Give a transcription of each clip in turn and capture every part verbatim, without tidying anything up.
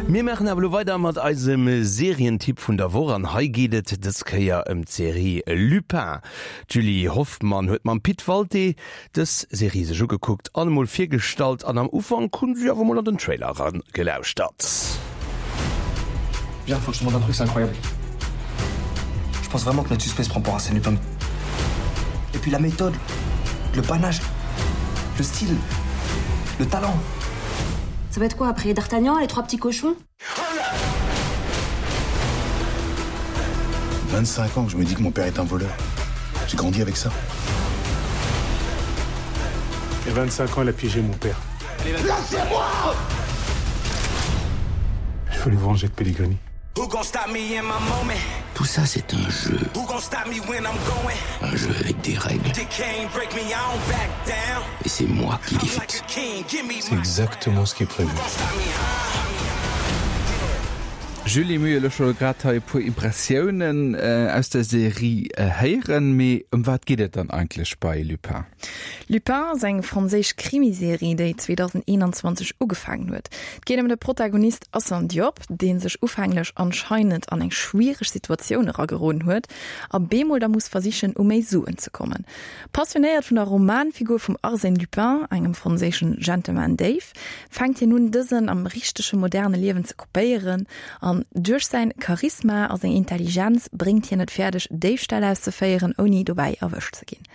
Mir maachen awer elo weider mat eisem Serientipp vun der Woch an hei geet et dës Kéier ëm d'Serie Lupin. D'Julie Hoffmann huet mam Pit Walté dës Serie sech ugekuckt an emol virgestallt an am Ufank hunn si awer emol an den Trailer eran gelauschtert. Viens, faut que je te montre un truc, c'est incroyable. Je pense vraiment que notre suspect se prend pour Arsène Lupin. Et puis la méthode, le panache, le style, le talent. Ça va être quoi après D'Artagnan, les trois petits cochons vingt-cinq ans que je me dis que mon père est un voleur. J'ai grandi avec ça. Et vingt-cinq ans, elle a piégé mon père. Lâchez-moi! Je veux le venger de Pellegrini. Tout ça, c'est un jeu. Un jeu avec des règles. Et c'est moi qui les fixe. C'est exactement ce qui est prévu. Julie, mir hu elo scho grad hei e puer Impressiounen aus der Serie héieren, mee ëm wat geet et dann eigentlech bei Lupin? Lupin ass eng franséisch Krimiserie, déi zweedausendeenanzwanzeg ugefaangen huet. Et geet ëm de Protagonist Assane Diop, dee sech ufänglech anscheinend an eng schwiereg Situatioun erageroden huet a bemol da muss versichen, u méi Suen ze kommen. Passionéiert vun der Romanfigur vum Arsène Lupin, engem franséischen Gentleman-Déif, fänkt hien un, dësen am richtege moderne Liewen ze kopéieren an duerch säin Charisma a seng Intelligenz bréngt hien et fäerdeg, Déifställ auszeféieren, ouni dobäi erwëscht ze ginn.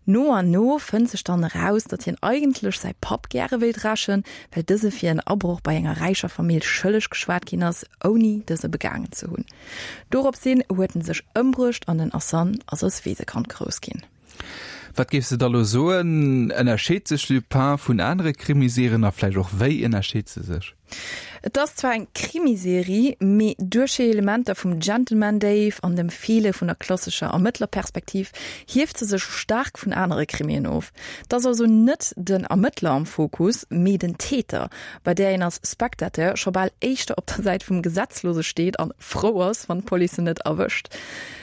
No an no fënnt sech dann eraus, datt hien eigentlech säi Papp gäre wéilt rächen, well dëse fir en Abroch bei enger räicher Famill schëlleg geschwat ginn ass, ouni dëse begaangen ze hunn. Dorops hin huet en sech ëmbruecht an den Assane ass als Weesekand grouss ginn. Wat géifs de da lo soen, ënnerscheet sech Lupin vun anere Krimiserien a vläicht och wéi ënnerscheet se sech? Et ass zwar eng Krimiserie, mee duerch hir Elementer vum Gentleman-Déif an dem Feele vun der klassescher Ermëttlerperspektiv hieft se sech staark vun anere Krimien of. Et ass also net den Ermëttler am Fokus, mee den Täter, bei där een als Spectateur scho bal éischter op der Säit vum Gesetzlose steet an frou ass, wann d'Police en net erwëscht.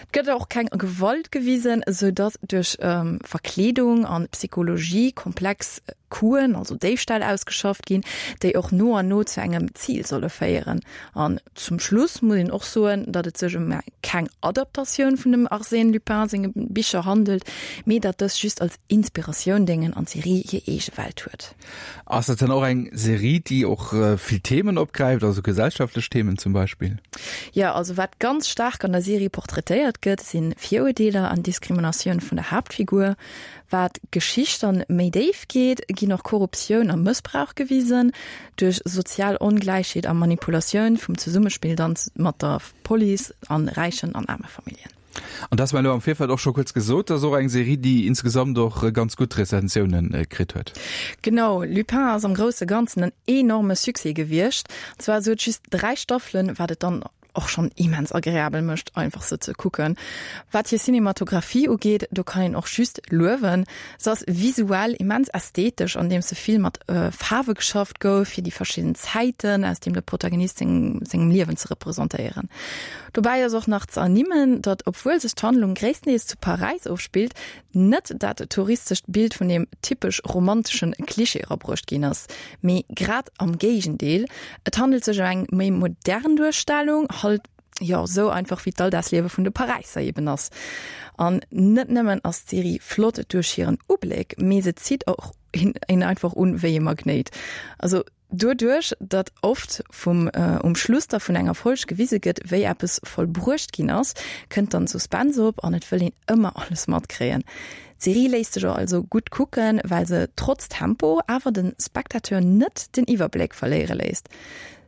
Et gëtt och keng Gewalt gewisen, sou datt duerch Verkleedung an Psychologie komplex Coup'en, also Déifställ ausgeschafft ginn, déi och no an no zu engem Zil solle féieren. An zum Schluss muss een och soen, datt et sech ëm keng Adaptatioun vun dem Arsène Lupin senge Bicher handelt, mee datt dës just als Inspiratioun déngen an d'Serie hir eege Welt huet. Ass dat dann och eng Serie, déi och vill Themen opgräift, also gesellschaftlech Themen zum Beispill? Jo, also wat ganz staark an der Serie portraitéiert gëtt, si Virurdeeler an Diskriminatioun vun der Haaptfigur. Wat d'Geschicht dann méi déif geet, ginn och Korruptioun a Mëssbrauch gewisen, duerch sozial Ongläichheet a Manipulatioun vum Zesummespill dann mat der Police an räichen an aarme Familljen. An dat mer elo am Virfeld och scho kuerz gesot, ass och eng Serie, déi insgesamt och ganz gutt Rezensiounen kritt huet. Genau, Lupin ass am grousse Ganzen en enorme Succès gewiescht. An zwar esou et just dräi Staffelen, wat et dann och schonn immens agreabel mécht einfach se ze kucken. Wat hir Cinematographie ugeet, do kann een och just luewen. Se ass visuell immens ästhetesch, andeems se vill mat Faarwe geschafft gouf, fir déi verschidden Zäiten aus dem de Protagonist sengem Liewen ze representéieren. Dobäi ass och nach ze ernimmen, datt obwuel sech d'Handlung gréisstendeels zu Paräis ofspillt, net dat touristescht Bild vun deem typesch romanteschen Klischee erabruecht ginn ass, mee grad am Géigendeel, et handelt sech ëm eng méi modern Duerstellung, halt jo sou einfach wéi d'Alldagsliewe vun de Paräisser eben ass. An net nëmmen ass d'Serie flott duerch hiren Ubléck, mee se zitt och een einfach un wéi e Magnéit. Also doduerch, datt oft vum um Schluss da vun enger Folg gewise gëtt, wéi eppes vollbruecht ginn ass, kënnt dann Suspense op an et wëll een ëmmer alles matkréien. D'Serie léisst sech also gutt kucken, well se trotz Tempo awer de Spectateur net den Iwwerbléck verléiere léisst.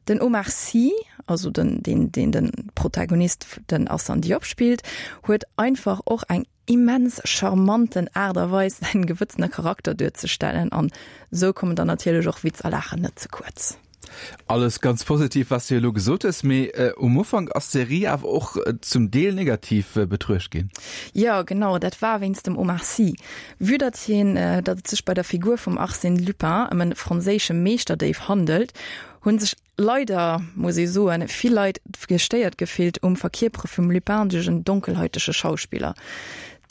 Den Omar Sy, also den deen deen den Protagonist den Assane Diop spillt, huet einfach och eng immens charmanten Aart a Weis säin gewëtzene Charakter duerzestellen an sou kommen dann natierlech och Witz a Laachen net ze kuerz. Alles ganz positiv was du elo gesot hues, mee um Ufank ass d'Serie awer och zum Deel negativ betruecht ginn. Jo genau, dat war wéinst dem Omar Sy. Vue datt hien, datt et sech bei der Figur vum Arsène Lupin ëm en franséische Meeschterdéif handelt, hunn sech leider, muss ee soen, vill Leit gestéiert gefillt um Verkierpere vum Lupin duerch en donkelhäutege Schauspiller.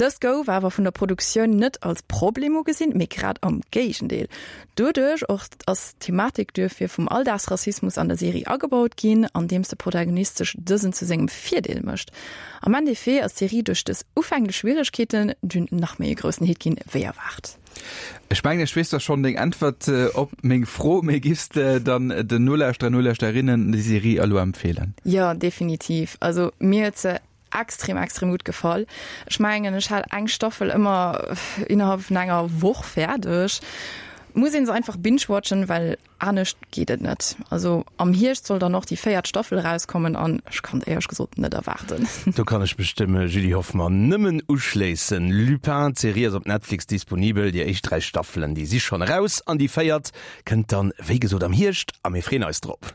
Dëst gouf awer vun der Produktioun net als Problem ugesinn, mee grad am Géigendeel. Doduerch och ass d'Thematik duerfir vum Alldagsrassismus an der Serie agebaut ginn, andeems de Protagonist sech dësen zu sengem Virdeel mécht. Am Endeffet ass d'Serie duerch dës ufänklech Schwieregkeeten dunn nach méi e groussen Hit ginn, wéi erwaart. Ech mengen, ech weess da schonn deng Äntwert op meng Fro, mee giffs de dann den Nolauschterer, Nolauschterinnen déi Serie elo empfeelen? Jo, definitiv. Also mir huet se extrem extrem gutt gefall. Ech mengen ech hat eng Staffel ëmmer innerhalb vun enger Woch fäerdeg. Muss een se einfach binge-watchen, well anescht geet et net. Also am Hierscht soll dann och déi véiert Staffel erauskommen an ech kann et éierlech gesot net erwaarden. Do kann ech mech dem Julie Hoffmann nëmmen uschléissen. Lupin, d'Serie ass op Netflix disponibel. Déi éischt dräi Staffelen, déi si schonn eraus an déi véiert kënnt dann, wéi gesot, am Hierscht a mir freeën eis drop.